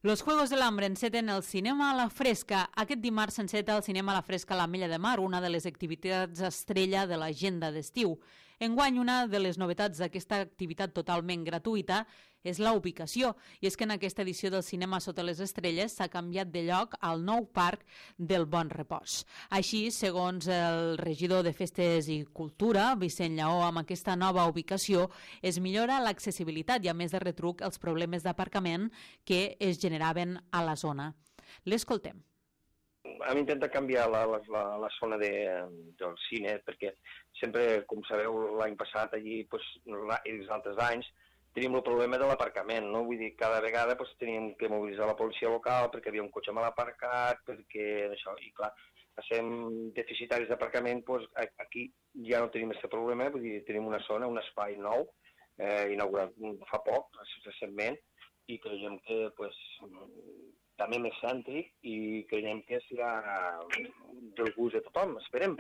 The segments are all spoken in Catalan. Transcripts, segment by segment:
Los Juegos del Hambre enceten el cinema a la fresca. Aquest dimarts s'enceta el cinema a la fresca a l'Ametlla de Mar, una de les activitats estrella de l'agenda d'estiu. Enguany, una de les novetats d'aquesta activitat totalment gratuïta és la ubicació, i és que en aquesta edició del Cinema sota les estrelles s'ha canviat de lloc al nou parc del Bon Repòs. Així, segons el regidor de Festes i Cultura, Vicent Lleó, amb aquesta nova ubicació es millora l'accessibilitat i, a més de retruc, els problemes d'aparcament que es generaven a la zona. L'escoltem. Hem intentat canviar la zona del cine perquè sempre, com sabeu, l'any passat allí i els altres anys teníem el problema de l'aparcament, no? Vull dir, cada vegada teníem que mobilitzar la policia local perquè havia un cotxe mal aparcat, perquè això, i clar, passem deficitaris d'aparcament, aquí ja no tenim aquest problema, vull dir, tenim una zona, un espai nou, inaugurat fa poc, recentment, i creiem que també més cèntric i creiem que serà del gust de tothom, esperem.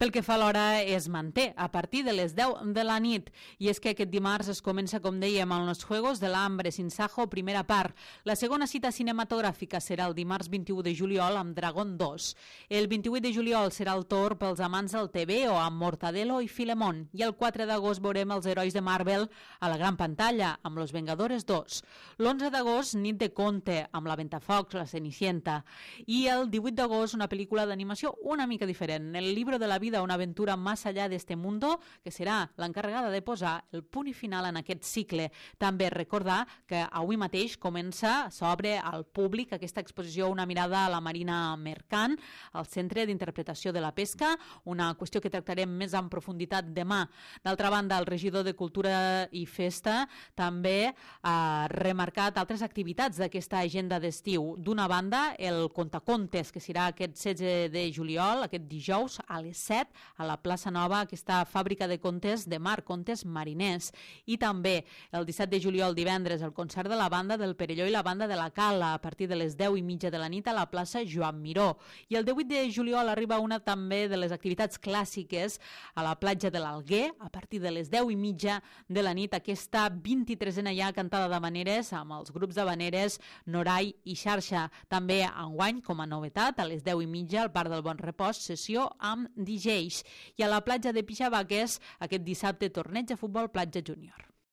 Pel que fa a l'hora es manté a partir de les 10 de la nit, i és que aquest dimarts es comença, com dèiem, amb els Juegos del Hambre sin Sajo, primera part. La segona cita cinematogràfica serà el dimarts 21 de juliol amb Dragon 2. El 28 de juliol serà el torn pels amants del TV o amb Mortadelo i Filemón, i el 4 d'agost veurem els herois de Marvel a la gran pantalla amb Los Vengadores 2. L'11 d'agost, nit de conte amb La Ventafocs, La Cenicienta, i el 18 d'agost una pel·lícula d'animació una mica diferent, El libro de la vida, una aventura más allá de este mundo, que serà l'encarregada de posar el punt i final en aquest cicle. També recordar que avui mateix s'obre al públic aquesta exposició Una mirada a la marina mercant al Centre d'Interpretació de la Pesca, una qüestió que tractarem més en profunditat demà. D'altra banda, el regidor de Cultura i Festa també ha remarcat altres activitats d'aquesta agenda d'estiu. D'una banda, el Contacontes, que serà aquest 16 de juliol, aquest dijous, a les 7, a la plaça Nova, aquesta fàbrica de contes de mar, contes mariners. I també el 17 de juliol, divendres, el concert de la banda del Perelló i la banda de la Cala a partir de les 10:30 de la nit a la plaça Joan Miró. I el 18 de juliol arriba una també de les activitats clàssiques a la platja de l'Alguer a partir de les 10:30 de la nit, aquesta 23a ja cantada d'havaneres amb els grups d'havaneres Norai i Xarxa. També enguany, com a novetat, a les 10:30 al Parc del Bon Repòs, sessió amb DJs. I a la platja de Pixabaques, aquest dissabte, torneig de futbol platja júnior.